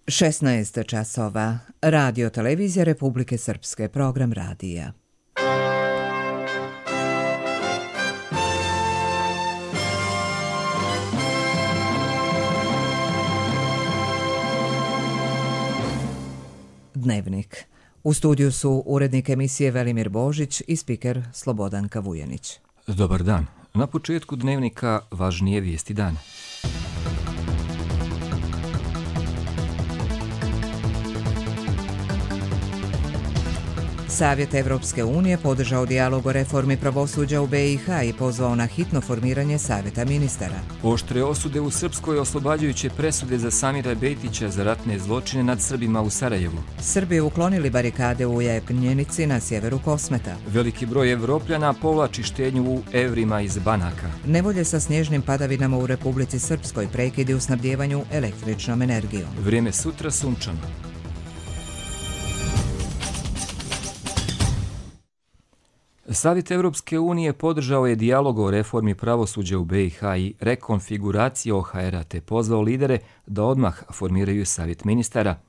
16 časova. Radio televizija Republike Srpske, program radija. Dnevnik. U studiju su urednik emisije Velimir Božić i spiker Slobodanka Vujanić. Dobar dan. Na početku dnevnika važnije vijesti dana. Savjet Evropske unije podržao dijalog o reformi pravosuđa u BiH i pozvao na hitno formiranje Savjeta ministara. Oštre osude u Srpskoj oslobađajuće presude za Samira Bejtića za ratne zločine nad Srbima u Sarajevu. Srbi uklonili barikade u Jepnjenici na sjeveru Kosmeta. Veliki broj Evropljana povlači štednju u evrima iz banaka. Nevolje sa snježnim padavinama u Republici Srpskoj, prekidi u snabdjevanju električnom energijom. Vrijeme sutra sunčano. Savjet Evropske unije podržao je dijalog o reformi pravosuđa u BiH i rekonfiguraciji OHR-a te pozvao lidere da odmah formiraju Savjet ministara.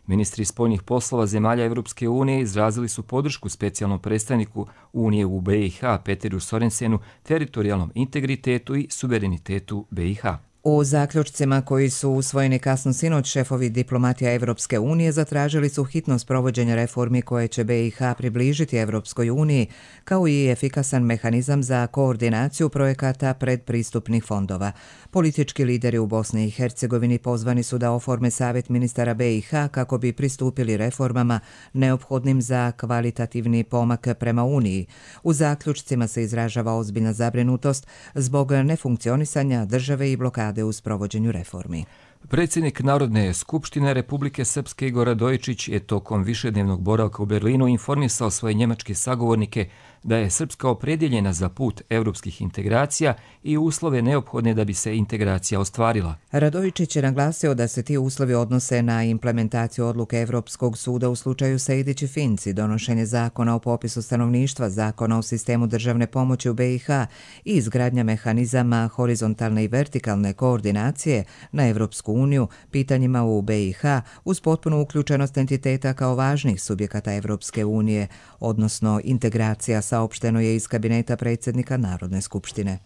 Ministri spoljnih poslova zemalja Evropske unije izrazili su podršku specijalnom predstavniku Unije u BiH Peteru Sorensenu, teritorijalnom integritetu i suverenitetu BiH. U zaključcima koji su usvojeni kasno sinoć, šefovi diplomatija Evropske unije zatražili su hitnost provođenja reformi koje će BiH približiti Evropskoj uniji, kao i efikasan mehanizam za koordinaciju projekata predpristupnih fondova. Politički lideri u Bosni i Hercegovini pozvani su da oforme Savjet ministara BiH kako bi pristupili reformama neophodnim za kvalitativni pomak prema Uniji. U zaključcima se izražava ozbiljna zabrinutost zbog nefunkcionisanja države i blokade u sprovođenju reformi. Predsjednik Narodne skupštine Republike Srpske Igor Radojičić je tokom višednevnog boravka u Berlinu informisao svoje njemačke sagovornike da je Srpska opredjeljena za put europskih integracija i uslove neophodne da bi se integracija ostvarila. Radojičić je naglasio da se ti uslovi odnose na implementaciju odluke Evropskog suda u slučaju Sejdić i Finci, donošenje zakona o popisu stanovništva, zakona o sistemu državne pomoći u BiH i izgradnja mehanizama horizontalne i vertikalne koordinacije na Evropsku uniju pitanjima u BiH uz potpunu uključenost entiteta kao važnih subjekata Evropske unije, odnosno integracija, saopšteno je iz kabineta predsjednika Narodne skupštine.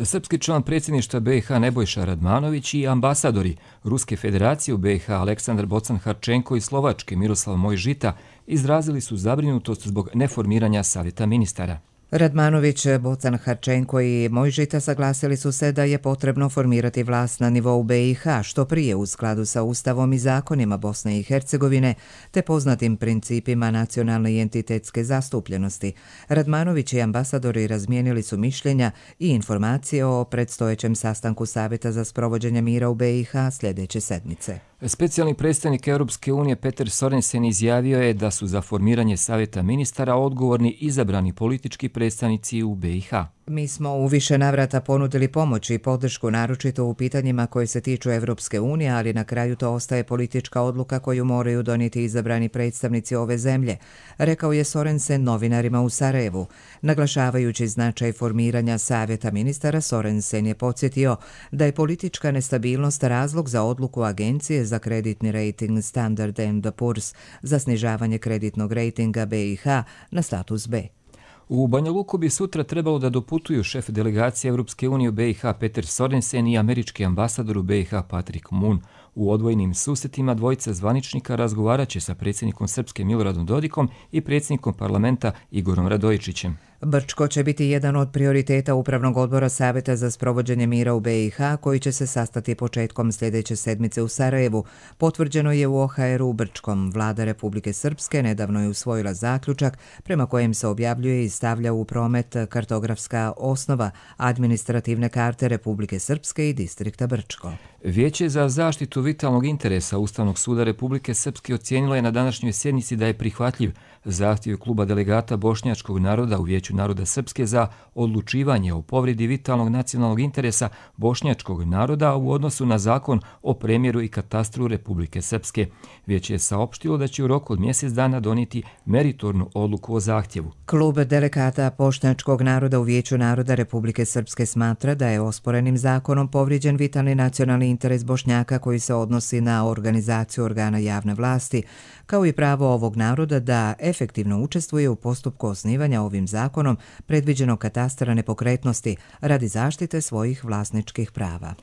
Srpski član predsjedništva BiH Nebojša Radmanović i ambasadori Ruske federacije u BiH Aleksandar Bocan-Harčenko i Slovačke Miroslav Mojžita izrazili su zabrinutost zbog neformiranja Savjeta ministara. Radmanović, Bocan-Harčenko i Mojžita saglasili su se da je potrebno formirati vlast na nivou BiH što prije u skladu sa Ustavom i zakonima Bosne i Hercegovine te poznatim principima nacionalne i entitetske zastupljenosti. Radmanović i ambasadori razmijenili su mišljenja i informacije o predstojećem sastanku Savjeta za sprovođenje mira u BiH sljedeće sedmice. Specijalni predstavnik Europske unije Peter Sorensen izjavio je da su za formiranje Savjeta ministara odgovorni izabrani politički predstavnici u BiH. Mi smo u više navrata ponudili pomoć i podršku naročito u pitanjima koje se tiču Evropske unije, ali na kraju to ostaje politička odluka koju moraju donijeti izabrani predstavnici ove zemlje, rekao je Sorensen novinarima u Sarajevu. Naglašavajući značaj formiranja Savjeta ministara, Sorensen je podsjetio da je politička nestabilnost razlog za odluku Agencije za kreditni rejting Standard & Poor's za snižavanje kreditnog rejtinga BiH na status B. U Banja Luku bi sutra trebalo da doputuju šef delegacije Europske unije u BiH Peter Sorensen i američki ambasador u BiH Patrick Moon. U odvojenim susretima dvojica zvaničnika razgovarat će sa predsjednikom Srpske Miloradom Dodikom i predsjednikom parlamenta Igorom Radojičićem. Brčko će biti jedan od prioriteta Upravnog odbora Savjeta za sprovođenje mira u BiH koji će se sastati početkom sljedeće sedmice u Sarajevu. Potvrđeno je u OHR-u u Brčkom. Vlada Republike Srpske nedavno je usvojila zaključak prema kojem se objavljuje i stavlja u promet kartografska osnova administrativne karte Republike Srpske i distrikta Brčko. Vijeće za zaštitu vitalnog interesa Ustavnog suda Republike Srpske ocijenilo je na današnjoj sjednici da je prihvatljiv Zahtjev kluba delegata bošnjačkog naroda u Vijeću naroda Srpske za odlučivanje o povredi vitalnog nacionalnog interesa bošnjačkog naroda u odnosu na zakon o premjeru i katastru Republike Srpske. Vijeće je saopštilo da će u roku od mjesec dana donijeti meritornu odluku o zahtjevu. Klub delegata bošnjačkog naroda u Vijeću naroda Republike Srpske smatra da je osporenim zakonom povrijeđen vitalni nacionalni interes Bošnjaka koji se odnosi na organizaciju organa javne vlasti, kao i pravo ovog naroda da efektivno učestvuje u postupku osnivanja ovim zakonom predviđenog katastra nepokretnosti radi zaštite svojih vlasničkih prava.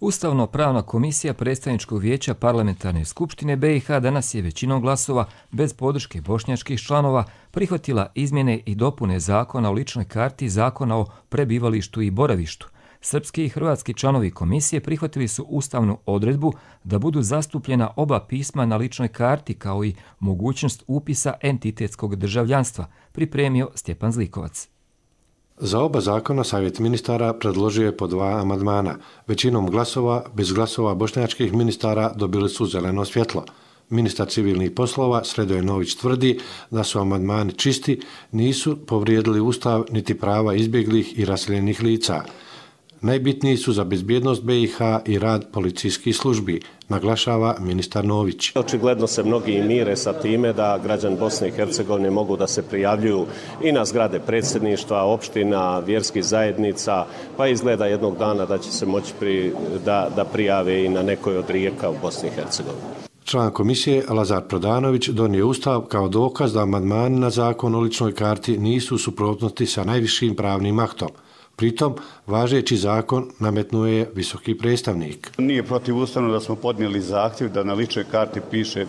Ustavno-pravna komisija Predstavničkog vijeća Parlamentarne skupštine BiH danas je većinom glasova bez podrške bošnjačkih članova prihvatila izmjene i dopune zakona o ličnoj karti, zakona o prebivalištu i boravištu. Srpski i hrvatski članovi komisije prihvatili su ustavnu odredbu da budu zastupljena oba pisma na ličnoj karti kao i mogućnost upisa entitetskog državljanstva, pripremio Stjepan Zlikovac. Za oba zakona Savjet ministara predložio je po 2 amandmana. Većinom glasova, bez glasova bošnjačkih ministara dobili su zeleno svjetlo. Ministar civilnih poslova Sredoje Nović tvrdi da su amandmani čisti, nisu povrijedili ustav niti prava izbjeglih i raseljenih lica. Najbitniji su za bezbjednost BiH i rad policijskih službi, naglašava ministar Nović. Očigledno se mnogi mire sa time da građani Bosne i Hercegovine mogu da se prijavljuju i na zgrade predsjedništva, opština, vjerskih zajednica, pa izgleda jednog dana da će se moći da prijave i na nekoj od rijeka u Bosni i Hercegovini. Član komisije Lazar Prodanović donio ustav kao dokaz da amandmani na zakon o ličnoj karti nisu u suprotnosti sa najvišim pravnim aktom. Pritom, važeći zakon nametnuo je visoki predstavnik. Nije protivustavno da smo podnijeli zahtjev da na ličnoj karti piše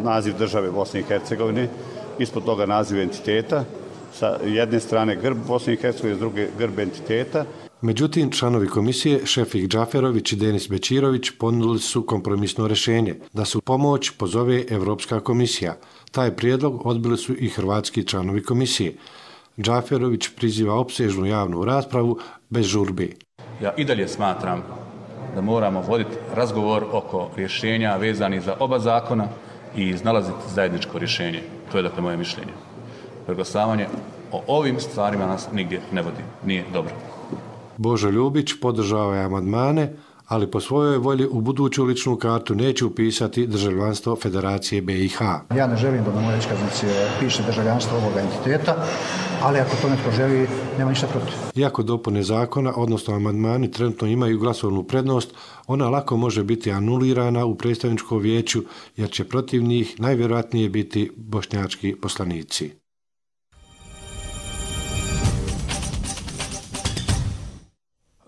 naziv države Bosne i Hercegovine, ispod toga naziv entiteta, sa jedne strane grb Bosne i Hercegovine, s druge grb entiteta. Međutim, članovi komisije Šefik Džaferović i Denis Bečirović ponudili su kompromisno rješenje da se u pomoć pozove Evropska komisija. Taj prijedlog odbili su i hrvatski članovi komisije. Džaferović priziva opsežnu javnu raspravu bez žurbi. Ja i dalje smatram da moramo voditi razgovor oko rješenja vezanih za oba zakona i iznalaziti zajedničko rješenje. To je dakle moje mišljenje. Preglasavanje o ovim stvarima nas nigdje ne vodi. Nije dobro. Božo Ljubić podržava je amandmane, ali po svojoj volji u buduću ličnu kartu neće upisati državljanstvo Federacije BiH. Ja ne želim da na mojoj iskaznici piše državljanstvo ovoga entiteta, ali ako to netko želi, nema ništa protiv. Iako dopune zakona, odnosno amandmani trenutno imaju glasovnu prednost, ona lako može biti anulirana u predstavničkom vijeću, jer će protiv njih najvjerojatnije biti bošnjački poslanici.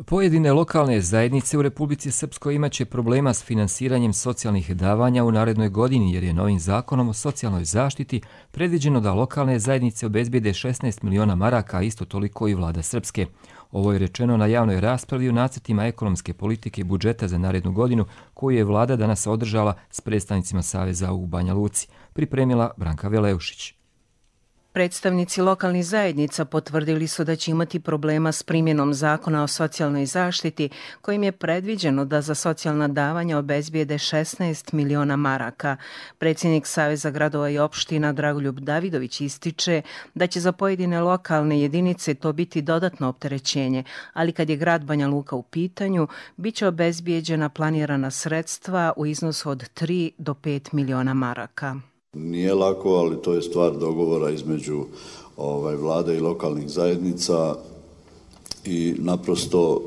Pojedine lokalne zajednice u Republici Srpskoj imaće problema s finansiranjem socijalnih davanja u narednoj godini jer je novim zakonom o socijalnoj zaštiti predviđeno da lokalne zajednice obezbijede 16 miliona maraka, a isto toliko i vlada Srpske. Ovo je rečeno na javnoj raspravi u nacrtima ekonomske politike i budžeta za narednu godinu koju je vlada danas održala s predstavnicima Saveza u Banja Luci, pripremila Branka Veleušić. Predstavnici lokalnih zajednica potvrdili su da će imati problema s primjenom zakona o socijalnoj zaštiti, kojim je predviđeno da za socijalna davanja obezbijede 16 miliona maraka. Predsjednik Saveza gradova i opština Dragoljub Davidović ističe da će za pojedine lokalne jedinice to biti dodatno opterećenje, ali kad je grad Banja Luka u pitanju, bit će obezbijeđena planirana sredstva u iznosu od 3 do 5 miliona maraka. Nije lako, ali to je stvar dogovora između vlade i lokalnih zajednica i naprosto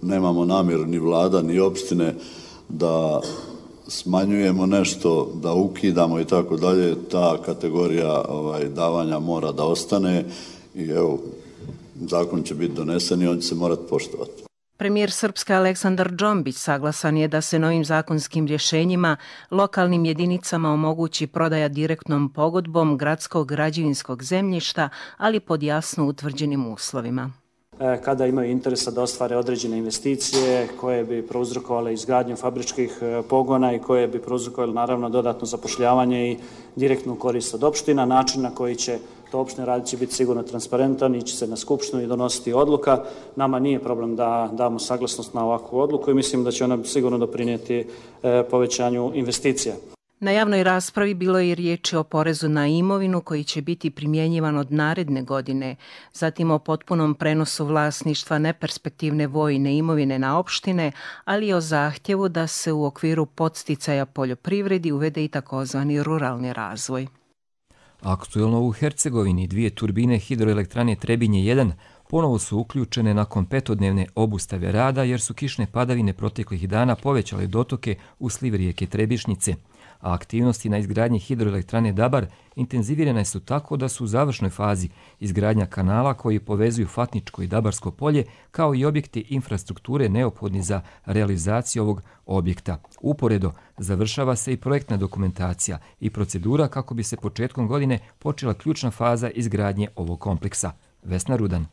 nemamo namjeru ni vlada ni opštine da smanjujemo nešto, da ukidamo i tako dalje. Ta kategorija davanja mora da ostane i evo, zakon će biti donesen i on će se morati poštovati. Premijer Srpske Aleksandar Džombić saglasan je da se novim zakonskim rješenjima lokalnim jedinicama omogući prodaja direktnom pogodbom gradskog građevinskog zemljišta, ali pod jasno utvrđenim uslovima. Kada imaju interesa da ostvare određene investicije koje bi prouzrokovale izgradnju fabričkih pogona i koje bi prouzrokovale naravno dodatno zapošljavanje i direktnu korist od opština, način na koji će to opštine raditi će biti sigurno transparentan, ići se na skupštinu i donositi odluka. Nama nije problem da damo saglasnost na ovakvu odluku i mislim da će ona sigurno doprinijeti povećanju investicija. Na javnoj raspravi bilo je i riječi o porezu na imovinu koji će biti primjenjivan od naredne godine, zatim o potpunom prenosu vlasništva neperspektivne vojne imovine na opštine, ali i o zahtjevu da se u okviru podsticaja poljoprivredi uvede i takozvani ruralni razvoj. Aktuelno u Hercegovini 2 turbine hidroelektrane Trebinje 1 ponovo su uključene nakon 5-dnevne obustave rada jer su kišne padavine proteklih dana povećale dotoke u sliv rijeke Trebišnjice. A aktivnosti na izgradnji hidroelektrane Dabar intenzivirane su tako da su u završnoj fazi izgradnja kanala koji povezuju Fatničko i Dabarsko polje, kao i objekti infrastrukture neophodni za realizaciju ovog objekta. Uporedo završava se i projektna dokumentacija i procedura kako bi se početkom godine počela ključna faza izgradnje ovog kompleksa. Vesna Rudan.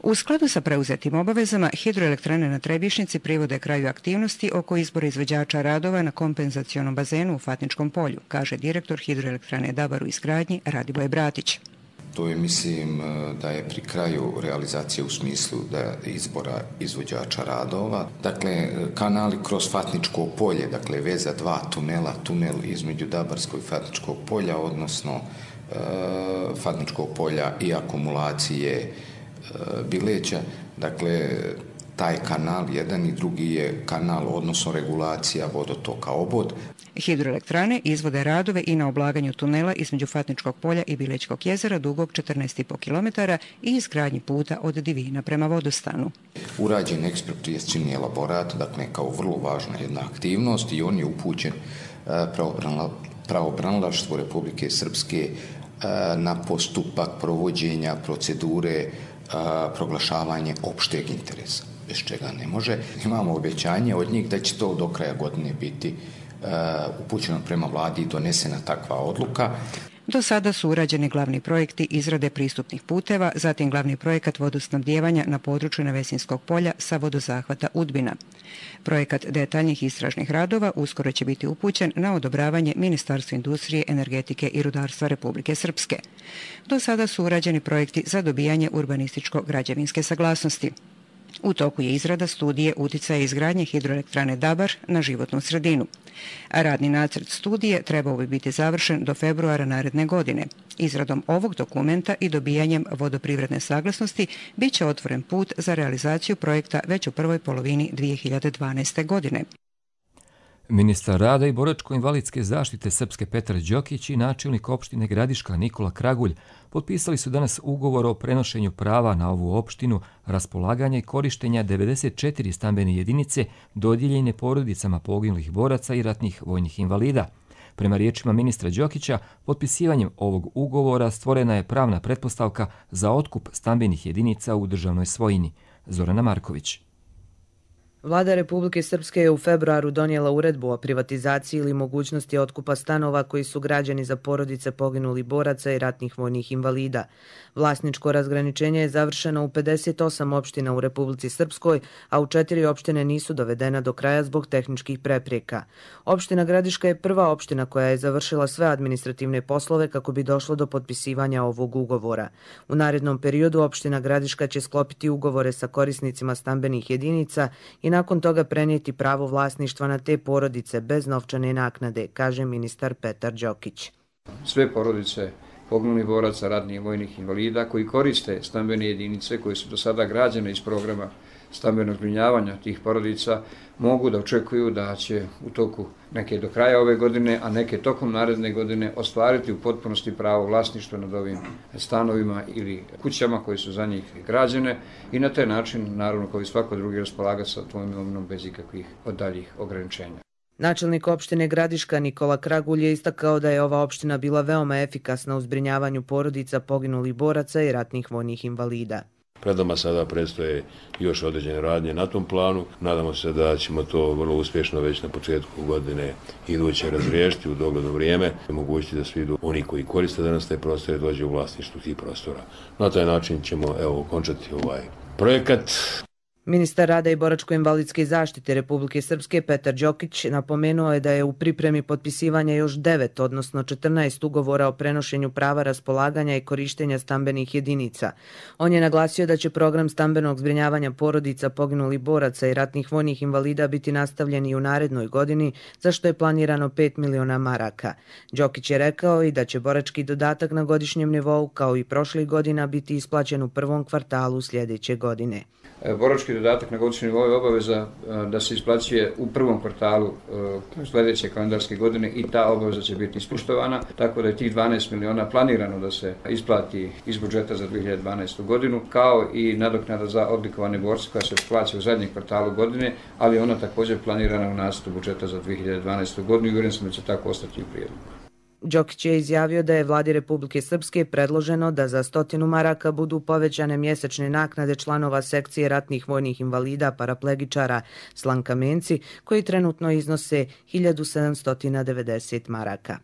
U skladu sa preuzetim obavezama, hidroelektrane na Trebišnjici privode kraju aktivnosti oko izbora izvođača radova na kompenzacionom bazenu u Fatničkom polju, kaže direktor hidroelektrane Dabar u izgradnji Radiboj Bratić. To je, mislim, da je pri kraju realizacije u smislu da izbora izvođača radova. Dakle, kanali kroz Fatničko polje, dakle, veza 2 tunela, tunel između Dabarskog i Fatničkog polja, odnosno Fatničkog polja i akumulacije Bileća, dakle, taj kanal, jedan i drugi je kanal, odnosno regulacija vodotoka obod. Hidroelektrane izvode radove i na oblaganju tunela između Fatničkog polja i Bilećkog jezera dugog 14,5 km i izgradnji puta od Divina prema Vodostanu. Urađen eksproprijacioni elaborat, dakle, kao vrlo važna jedna aktivnost i on je upućen pravobranilaštvu Republike Srpske na postupak provođenja procedure proglašavanje opšteg interesa, bez čega ne može. Imamo obećanje od njih da će to do kraja godine biti upućeno prema vladi i donesena takva odluka. Do sada su urađeni glavni projekti izrade pristupnih puteva, zatim glavni projekat vodosnabdijevanja na području Nevesinskog polja sa vodozahvata Udbina. Projekat detaljnih istražnih radova uskoro će biti upućen na odobravanje Ministarstva industrije, energetike i rudarstva Republike Srpske. Do sada su urađeni projekti za dobijanje urbanističko-građevinske saglasnosti. U toku je izrada studije uticaja izgradnje hidroelektrane Dabar na životnu sredinu. A radni nacrt studije trebao bi biti završen do februara naredne godine. Izradom ovog dokumenta i dobijanjem vodoprivredne saglasnosti bit će otvoren put za realizaciju projekta već u prvoj polovini 2012. godine. Ministar rada i boračko-invalidske zaštite Srpske Petar Đokić i načelnik opštine Gradiška Nikola Kragulj potpisali su danas ugovor o prenošenju prava na ovu opštinu, raspolaganja i korištenja 94 stambene jedinice dodijeljene porodicama poginulih boraca i ratnih vojnih invalida. Prema riječima ministra Đokića, potpisivanjem ovog ugovora stvorena je pravna pretpostavka za otkup stambenih jedinica u državnoj svojini. Zorana Marković. Vlada Republike Srpske je u februaru donijela uredbu o privatizaciji ili mogućnosti otkupa stanova koji su građeni za porodice poginulih boraca i ratnih vojnih invalida. Vlasničko razgraničenje je završeno u 58 opština u Republici Srpskoj, a u 4 opštine nisu dovedena do kraja zbog tehničkih prepreka. Opština Gradiška je prva opština koja je završila sve administrativne poslove kako bi došlo do potpisivanja ovog ugovora. U narednom periodu opština Gradiška će sklopiti ugovore sa korisnicima stambenih jedinica i nakon toga prenijeti pravo vlasništva na te porodice bez novčane naknade, kaže ministar Petar Đokić. Sve porodice poginulih boraca, ratnih vojnih invalida koji koriste stambene jedinice koje su do sada građene iz programa stambenog zbrinjavanja tih porodica mogu da očekuju da će u toku neke do kraja ove godine, a neke tokom naredne godine ostvariti u potpunosti pravo vlasništva nad ovim stanovima ili kućama koje su za njih građene i na taj način, naravno, kao i svako drugi, raspolaga sa tvojom imovinom bez ikakvih daljih ograničenja. Načelnik opštine Gradiška Nikola Kragulj je istakao da je ova opština bila veoma efikasna u zbrinjavanju porodica poginulih boraca i ratnih vojnih invalida. Pred nama sada predstoje još određene radnje na tom planu. Nadamo se da ćemo to vrlo uspješno već na početku godine iduće razriješiti u dogledno vrijeme i mogućiti da svi oni koji koriste danas te prostore dođe u vlasništvu tih prostora. Na taj način ćemo okončati ovaj projekat. Ministar rada i boračko-invalidske zaštite Republike Srpske Petar Đokić napomenuo je da je u pripremi potpisivanja još 9, odnosno 14 ugovora o prenošenju prava raspolaganja i korištenja stambenih jedinica. On je naglasio da će program stambenog zbrinjavanja porodica poginulih boraca i ratnih vojnih invalida biti nastavljen i u narednoj godini, za što je planirano 5 miliona maraka. Đokić je rekao i da će borački dodatak na godišnjem nivou, kao i prošlih godina, biti isplaćen u prvom kvartalu sljedeće godine. Borački dodatak na godišnjem nivou je obaveza da se isplaćuje u prvom kvartalu sljedeće kalendarske godine i ta obaveza će biti ispoštovana, tako da je tih 12 miliona planirano da se isplati iz budžeta za 2012. godinu, kao i nadoknada za odlikovane borce koja se plaća u zadnjem kvartalu godine, ali ona također planirana u nacrtu budžeta za 2012. godinu i uvjeren sam da će tako ostati u prijedlogu. Đokić je izjavio da je vladi Republike Srpske predloženo da za 100 maraka budu povećane mjesečne naknade članova sekcije ratnih vojnih invalida paraplegičara Slankamenci, koji trenutno iznose 1790 maraka.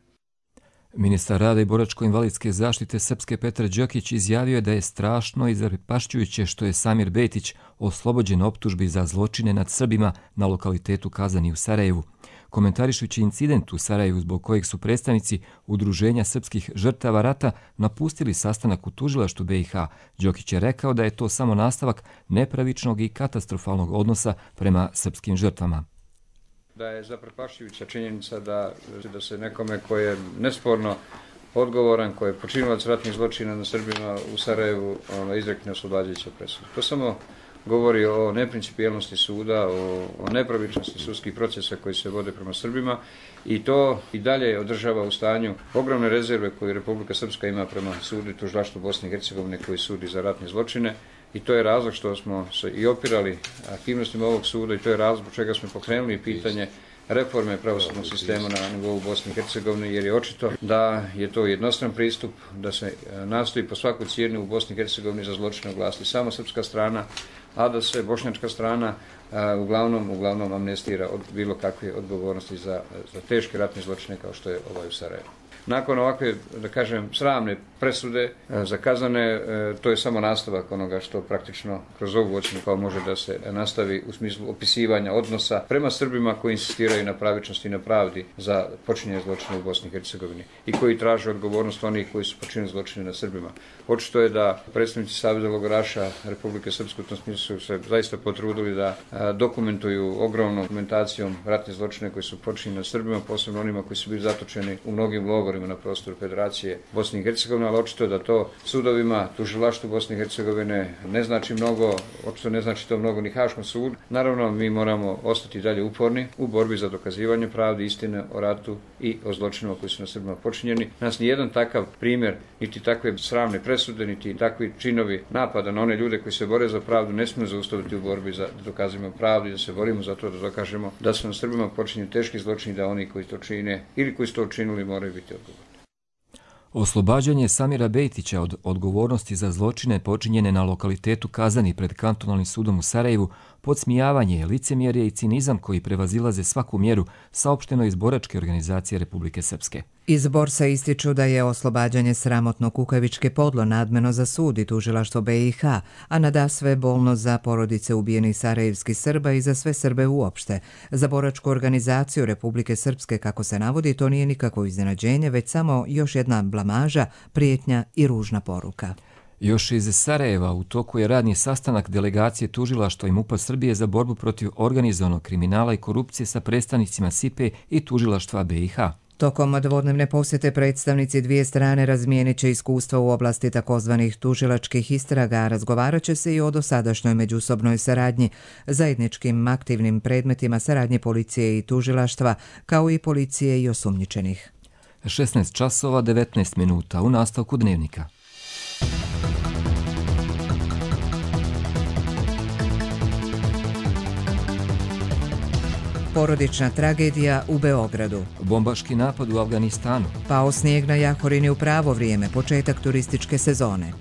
Ministar rada i boračko-invalidske zaštite Srpske Petar Đokić izjavio je da je strašno i zaprepašćujuće što je Samir Bejtić oslobođen optužbi za zločine nad Srbima na lokalitetu Kazani u Sarajevu. Komentarišući incident u Sarajevu zbog kojeg su predstavnici Udruženja srpskih žrtava rata napustili sastanak u tužilaštvu BiH, Đokić je rekao da je to samo nastavak nepravičnog i katastrofalnog odnosa prema srpskim žrtvama. Da je zaprepašćujuća činjenica da se nekome koji je nesporno odgovoran, koji je počinilac ratnih zločina na Srbima u Sarajevu izrekne oslobađajuća presuda. To samo govori o neprincipijelnosti suda, o nepravičnosti sudskih procesa koji se vode prema Srbima i to i dalje održava u stanju ogromne rezerve koje Republika Srpska ima prema sudu i tužilaštvu Bosne i Hercegovine koji sudi za ratne zločine i to je razlog što smo se i opirali aktivnostima ovog suda i to je razlog zbog čega smo pokrenuli pitanje reforme pravosudnog sistema na nivou Bosne i Hercegovine, jer je očito da je to jednostran pristup, da se nastoji po svaku cijenu u Bosni i Hercegovini za zločine oglasiti samo srpska strana, a da se bošnjačka strana uglavnom amnestira od bilo kakve odgovornosti za teške ratne zločine kao što je ovaj u Sarajevu. Nakon ovakve, da kažem, sramne presude zakazane, to je samo nastavak onoga što praktično kroz ovu ocjenu kao može da se nastavi u smislu opisivanja odnosa prema Srbima koji insistiraju na pravičnosti i na pravdi za počinjenje zločina u Bosni i Hercegovini i koji traže odgovornost onih koji su počinili zločine na Srbima. Očito je da predstavnici Saveza logoraša Republike Srpske u tom smislu se zaista potrudili da dokumentuju ogromnom dokumentacijom ratne zločine koji su počinjeni na Srbima, posebno onima koji su bili zatočeni u mnogim logorima na prostoru Federacije Bosne i Hercegovine, ali očito je da to sudovima, tužilaštvu Bosne i Hercegovine ne znači mnogo, očito ne znači to mnogo ni Haškom sudu. Naravno, mi moramo ostati dalje uporni u borbi za dokazivanje pravde, istine o ratu i o zločinima koji su na Srbima počinjeni. Nas nijedan takav primjer, niti takve sramne presude, niti takvi činovi napada na one ljude koji se bore za pravdu ne smiju zaustaviti u borbi za da dokazujemo pravdu i da se borimo za to da dokažemo da su na Srbima počinjeni teški zločini, da oni koji to čine ili koji su to učinili moraju biti odgovorni. Oslobađanje Samira Bejtića od odgovornosti za zločine počinjene na lokalitetu Kazani pred kantonalnim sudom u Sarajevu podsmijavanje, licemjerje i cinizam koji prevazilaze svaku mjeru, saopšteno iz boračke organizacije Republike Srpske. Iz borsa ističu da je oslobađanje sramotno kukavičke podlo nadmeno za sud i tužilaštvo BiH, a nadasve bolno za porodice ubijenih sarajevskih Srba i za sve Srbe uopšte. Za boračku organizaciju Republike Srpske, kako se navodi, to nije nikakvo iznenađenje, već samo još jedna blamaža, prijetnja i ružna poruka. Još iz Sarajeva u toku je radni sastanak delegacije tužilaštva i MUP-a Srbije za borbu protiv organizovanog kriminala i korupcije sa predstavnicima SIPE i tužilaštva BiH. Tokom dvodnevne posjete predstavnici dvije strane razmijenit će iskustva u oblasti takozvanih tužilačkih istraga, razgovarat će se i o dosadašnjoj međusobnoj saradnji, zajedničkim aktivnim predmetima saradnje policije i tužilaštva, kao i policije i osumnjičenih. 16 časova 19 minuta u nastavku dnevnika. Porodična tragedija u Beogradu. Bombaški napad u Afganistanu. Pao snijeg na Jahorini u pravo vrijeme, početak turističke sezone.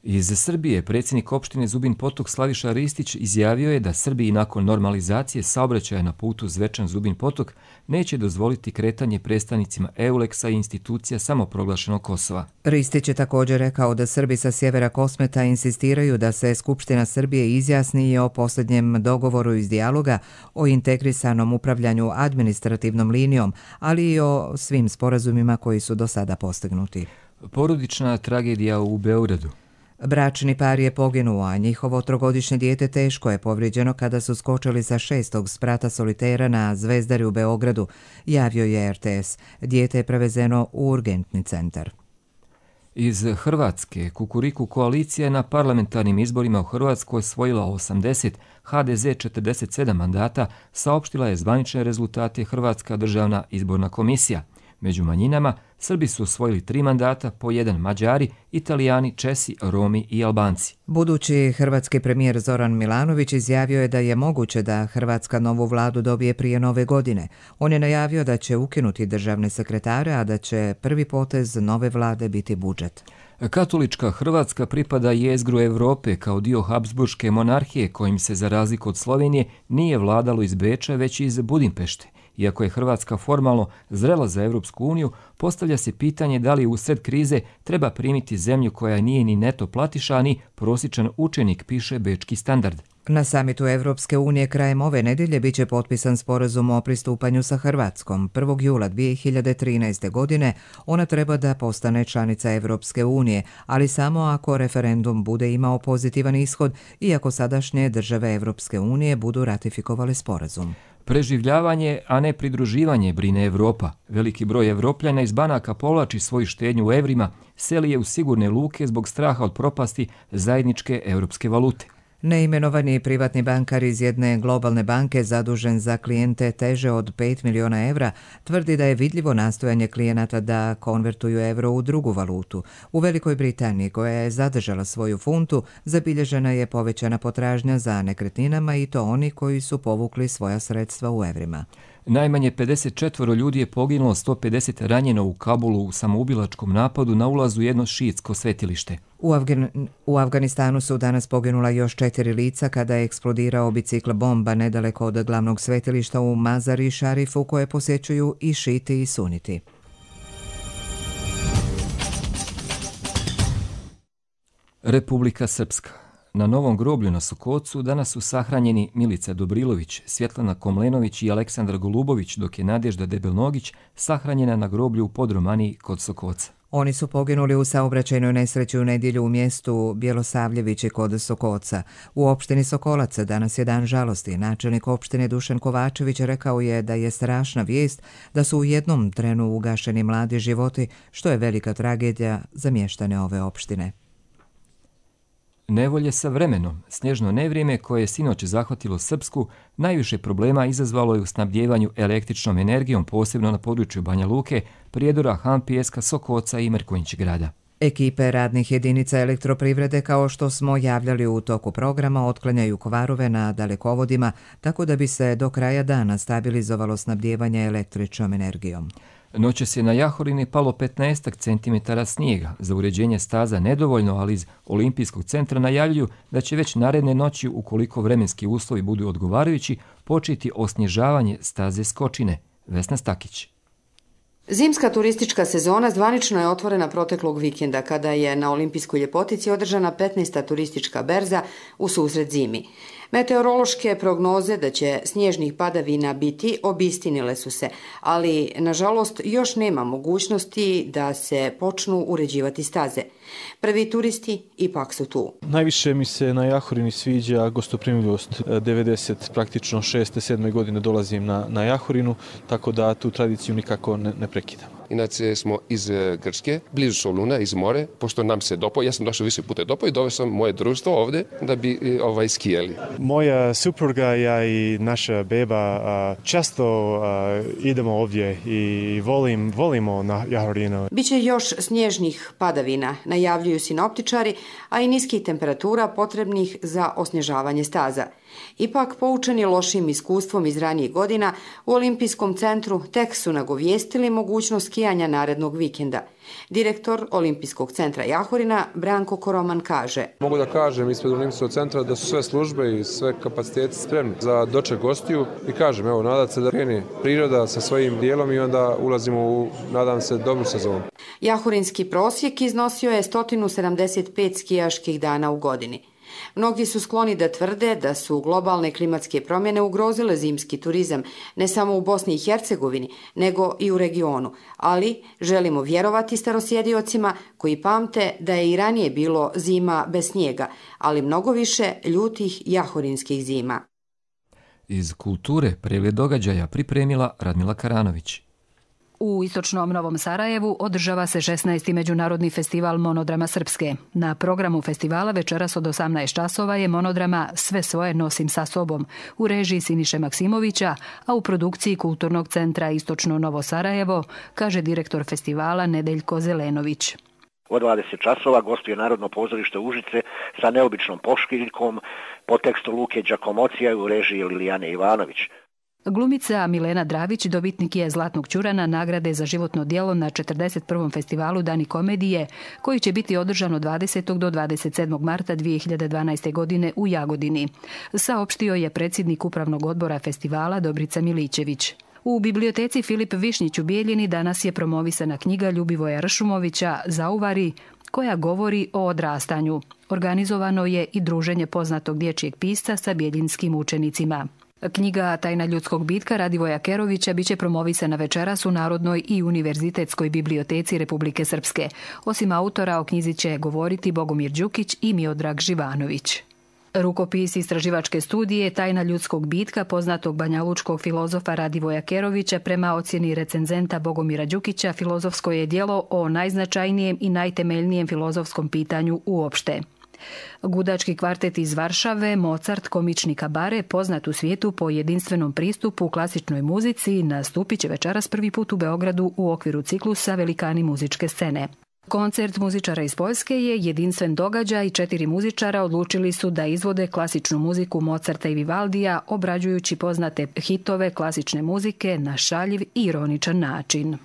Iz Srbije predsjednik opštine Zubin Potok Slaviša Ristić izjavio je da Srbiji nakon normalizacije saobraćaja na putu Zvečan-Zubin Potok neće dozvoliti kretanje predstavnicima EULEX-a i institucija samoproglašenog Kosova. Ristić je također rekao da Srbi sa sjevera Kosmeta insistiraju da se Skupština Srbije izjasni o posljednjem dogovoru iz dijaloga o integrisanom upravljanju administrativnom linijom, ali i o svim sporazumima koji su do sada postignuti. Porodična tragedija u Beogradu. Bračni par je poginuo, a njihovo 3-godišnje dijete teško je povrijeđeno kada su skočili sa 6. sprata solitera na Zvezdari u Beogradu, javio je RTS. Dijete je prevezeno u urgentni centar. Iz Hrvatske, Kukuriku koalicija je na parlamentarnim izborima u Hrvatskoj osvojila 80, HDZ 47 mandata, saopštila je zvanične rezultate Hrvatska državna izborna komisija. Među manjinama Srbi su osvojili 3 mandata, po 1 Mađari, Italijani, Česi, Romi i Albanci. Budući hrvatski premijer Zoran Milanović izjavio je da je moguće da Hrvatska novu vladu dobije prije nove godine. On je najavio da će ukinuti državne sekretare, a da će prvi potez nove vlade biti budžet. Katolička Hrvatska pripada jezgru Evrope kao dio Habsburške monarhije kojim se za razliku od Slovenije nije vladalo iz Beča već iz Budimpešte. Iako je Hrvatska formalno zrela za Evropsku uniju, postavlja se pitanje da li usred krize treba primiti zemlju koja nije ni neto platiša, ni prosječan učenik, piše Bečki standard. Na samitu Evropske unije krajem ove nedjelje biće potpisan sporazum o pristupanju sa Hrvatskom. 1. jula 2013. godine ona treba da postane članica Evropske unije, ali samo ako referendum bude imao pozitivan ishod i ako sadašnje države Evropske unije budu ratifikovale sporazum. Preživljavanje, a ne pridruživanje, brine Evropa. Veliki broj Evropljana iz banaka povlači svoju štednju u evrima, seli je u sigurne luke zbog straha od propasti zajedničke europske valute. Neimenovani privatni bankar iz jedne globalne banke zadužen za klijente teže od 5 miliona evra tvrdi da je vidljivo nastojanje klijenata da konvertuju evro u drugu valutu. U Velikoj Britaniji, koja je zadržala svoju funtu, zabilježena je povećana potražnja za nekretninama i to oni koji su povukli svoja sredstva u evrima. Najmanje 54 ljudi je poginulo, 150 ranjeno u Kabulu u samoubilačkom napadu na ulazu jedno šiitsko svetilište. U Afganistanu su danas poginula još 4 lica kada je eksplodirao bicikl bomba nedaleko od glavnog svetilišta u Mazari Šarifu koje posjećuju i šiti i suniti. Republika Srpska. Na novom groblju na Sokocu danas su sahranjeni Milica Dobrilović, Svjetlana Komlenović i Aleksandar Golubović, dok je Nadežda Debelnogić sahranjena na groblju u Podromaniji kod Sokoca. Oni su poginuli u saobraćajnoj nesreći u nedjelju u mjestu Bjelosavljevići kod Sokoca. U opštini Sokolac danas je dan žalosti. Načelnik opštine Dušan Kovačević rekao je da je strašna vijest da su u jednom trenu ugašeni mladi životi, što je velika tragedija za mještane ove opštine. Nevolje sa vremenom. Snježno nevrijeme koje je sinoć zahvatilo Srpsku najviše problema izazvalo je u snabdjevanju električnom energijom, posebno na području Banja Luke, Prijedora, Hampijeska, Sokoca i Merkonjić grada. Ekipe radnih jedinica elektroprivrede, kao što smo javljali u toku programa, otklanjaju kvarove na dalekovodima, tako da bi se do kraja dana stabilizovalo snabdjevanje električnom energijom. Noćas je na Jahorini palo 15 cm snijega. Za uređenje staza nedovoljno, ali iz Olimpijskog centra najavljuju da će već naredne noći, ukoliko vremenski uslovi budu odgovarajući, početi osnježavanje staze Skočine. Vesna Stakić. Zimska turistička sezona zvanično je otvorena proteklog vikenda kada je na Olimpijskoj ljepotici održana 15. turistička berza u susret zimi. Meteorološke prognoze da će snježnih padavina biti obistinile su se, ali nažalost još nema mogućnosti da se počnu uređivati staze. Prvi turisti ipak su tu. Najviše mi se na Jahorini sviđa gostoprimljivost. 90, praktično 6. 7. godine dolazim na Jahorinu, tako da tu tradiciju nikako ne prekidam. Inače smo iz Grčke, blizu Soluna, iz more, pošto nam se dopao, ja sam došao više puta dopao i doveo sam moje društvo ovdje da bi skijali. Moja supruga, ja i naša beba često idemo ovdje i volimo na Jahorinu. Biće još snježnih padavina, najavljuju sinoptičari, a i niskih temperatura potrebnih za osnježavanje staza. Ipak, poučeni lošim iskustvom iz ranijih godina, u Olimpijskom centru tek su nagovijestili mogućnost skijanja skijanja narednog vikenda. Direktor Olimpijskog centra Jahorina Branko Koroman kaže: Mogu da kažem ispred Olimpijskog centra da su sve službe i sve kapaciteti spremni za doček gostiju i kažem, evo, nadat se da krene priroda sa svojim dijelom i onda ulazimo u, nadam se, dobru sezonu. Jahorinski prosjek iznosio je 175 skijaških dana u godini. Mnogi su skloni da tvrde da su globalne klimatske promjene ugrozile zimski turizam, ne samo u Bosni i Hercegovini, nego i u regionu. Ali želimo vjerovati starosjediocima koji pamte da je i ranije bilo zima bez snijega, ali mnogo više ljutih jahorinskih zima. Iz kulture pregled događaja pripremila Radmila Karanović. U istočnom Novom Sarajevu održava se 16. međunarodni festival monodrama srpske. Na programu festivala večeras od 18 časova je monodrama Sve svoje nosim sa sobom u režiji Siniše Maksimovića, a u produkciji Kulturnog centra Istočno Novo Sarajevo, kaže direktor festivala Nedeljko Zelenović. U 20 časova gostuje Narodno pozorište Užice sa neobičnom poškiljkom po tekstu Luke Đakomocija u režiji Lilijane Ivanović. Glumica Milena Dravić dobitnik je Zlatnog ćurana nagrade za životno djelo na 41. festivalu Dani komedije, koji će biti održan od 20. do 27. marta 2012. godine u Jagodini, saopštio je predsjednik upravnog odbora festivala Dobrica Milićević. U biblioteci Filip Višnjić u Bijeljini danas je promovisana knjiga Ljubivoja Ršumovića Zauvari, koja govori o odrastanju. Organizovano je i druženje poznatog dječjeg pisca sa bijeljinskim učenicima. Knjiga Tajna ljudskog bitka Radivoja Kerovića biće promovisana večeras u Narodnoj i Univerzitetskoj biblioteci Republike Srpske. Osim autora, o knjizi će govoriti Bogomir Đukić i Miodrag Živanović. Rukopis istraživačke studije Tajna ljudskog bitka poznatog banjalučkog filozofa Radivoja Kerovića prema ocjeni recenzenta Bogomira Đukića filozofsko je djelo o najznačajnijem i najtemeljnijem filozofskom pitanju uopšte. Gudački kvartet iz Varšave, Mozart, komični kabare, poznat u svijetu po jedinstvenom pristupu u klasičnoj muzici, nastupit će večeras prvi put u Beogradu u okviru ciklusa Velikani muzičke scene. Koncert muzičara iz Poljske je jedinstven događaj i 4 muzičara odlučili su da izvode klasičnu muziku Mozarta i Vivaldija, obrađujući poznate hitove klasične muzike na šaljiv i ironičan način.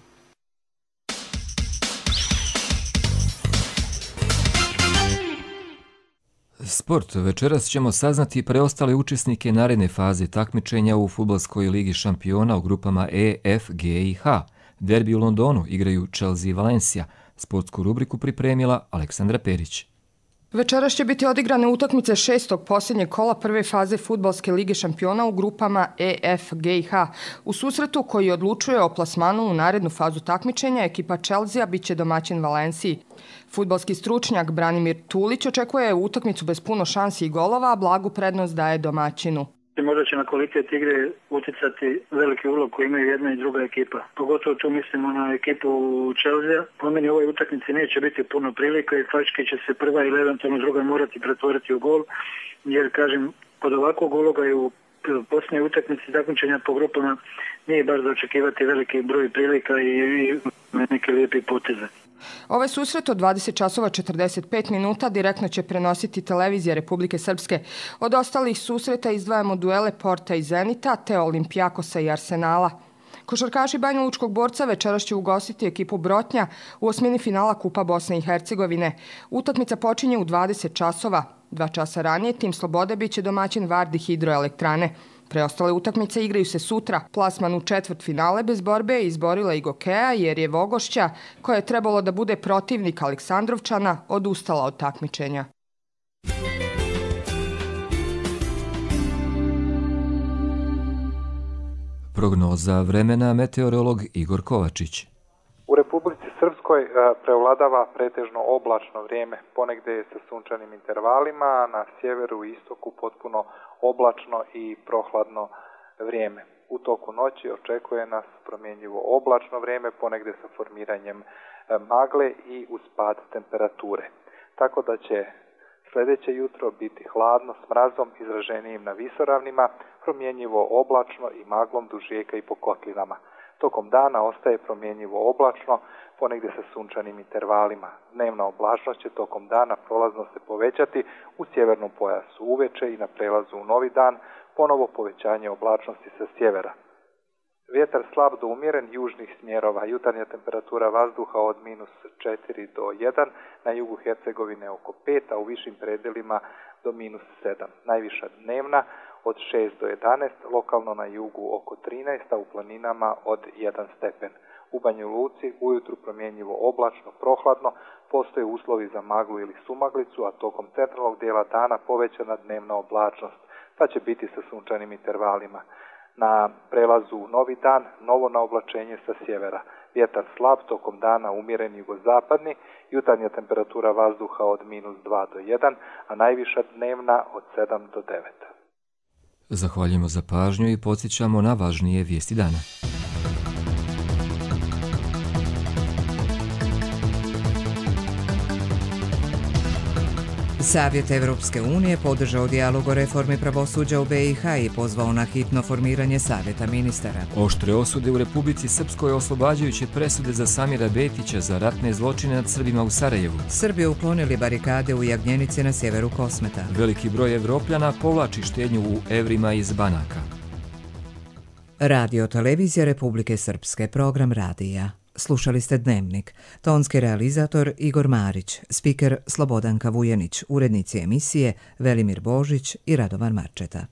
Sport. Večeras ćemo saznati preostale učesnike naredne faze takmičenja u fudbalskoj ligi šampiona u grupama E, F, G i H. Derbi u Londonu igraju Chelsea i Valencia. Sportsku rubriku pripremila Aleksandra Perić. Večeras će biti odigrane utakmice 6. posljednjeg kola prve faze fudbalske lige šampiona u grupama E, F, G i H. U susretu koji odlučuje o plasmanu u narednu fazu takmičenja, ekipa Chelsea biće domaćin Valenciji. Fudbalski stručnjak Branimir Tulić očekuje utakmicu bez puno šansi i golova, a blagu prednost daje domaćinu. Možda će na kvalitet igre uticati veliki ulog koji imaju jedna i druga ekipa. Pogotovo tu mislimo na ekipu Chelsea. Po meni u ovoj utakmici neće biti puno prilika i faktički će se prva ili eventualno druga morati pretvoriti u gol. Jer, kažem, kod ovakvog uloga i u posljednjoj utakmici takmičenja po grupama nije baš za očekivati veliki broj prilika i neke lijepi poteze. Ovaj susret od 20 časova 45 minuta direktno će prenositi televizija Republike Srpske. Od ostalih susreta izdvajamo duele Porta i Zenita, te Olimpijakosa i Arsenala. Košarkaši banjalučkog borca večeras će ugostiti ekipu Brotnja u osmini finala Kupa Bosne i Hercegovine. Utakmica počinje u 20 časova. 2 časa ranije tim Slobode biće domaćin Vardi hidroelektrane. Preostale utakmice igraju se sutra. Plasman u četvrtfinale bez borbe je izborila i Gokeja jer je Vogošća, koja je trebalo da bude protivnik Aleksandrovčana, odustala od takmičenja. Prognoza vremena meteorolog Igor Kovačić. U Republici Srpskoj prevladava pretežno oblačno vrijeme, ponegde je sa sunčanim intervalima, a na sjeveru i istoku potpuno oblačno i prohladno vrijeme. U toku noći očekuje nas promjenjivo oblačno vrijeme, ponegde sa formiranjem magle i uz pad temperature. Tako da će sljedeće jutro biti hladno s mrazom izraženijim na visoravnima, promjenjivo oblačno i maglom duž rijeka i po kotlinama. Tokom dana ostaje promjenjivo oblačno, ponegdje sa sunčanim intervalima. Dnevna oblačnost će tokom dana prolazno se povećati u sjevernom pojasu uveče i na prelazu u novi dan, ponovo povećanje oblačnosti sa sjevera. Vjetar slab do umjeren južnih smjerova, jutarnja temperatura vazduha od -4 do 1, na jugu Hercegovine oko 5, a u višim predelima do -7. Najviša dnevna od 6 do 11, lokalno na jugu oko 13, a u planinama od 1 stepen. U Banja Luci ujutru promjenjivo oblačno, prohladno, postoje uslovi za maglu ili sumaglicu, a tokom centralnog dijela dana povećana dnevna oblačnost, pa će biti sa sunčanim intervalima. Na prelazu u novi dan, novo naoblačenje sa sjevera. Vjetar slab, tokom dana umjeren jugozapadni, jutarnja temperatura vazduha od -2 do 1, a najviša dnevna od 7 do 9. Zahvaljujemo za pažnju i podsjećamo na važnije vijesti dana. Savjet Evropske unije podržao dijalog o reformi pravosuđa u BiH i pozvao na hitno formiranje savjeta ministara. Oštre osude u Republici Srpskoj oslobađajuće presude za Samira Betića za ratne zločine nad Srbima u Sarajevu. Srbi uklonili barikade u Jagnjenici na sjeveru Kosmeta. Veliki broj Evropljana povlači štednju u evrima iz banaka. Radio Televizija Republike Srpske, program radija. Slušali ste Dnevnik. Tonski realizator Igor Marić, spiker Slobodanka Vujenić, urednici emisije Velimir Božić i Radovan Marčeta.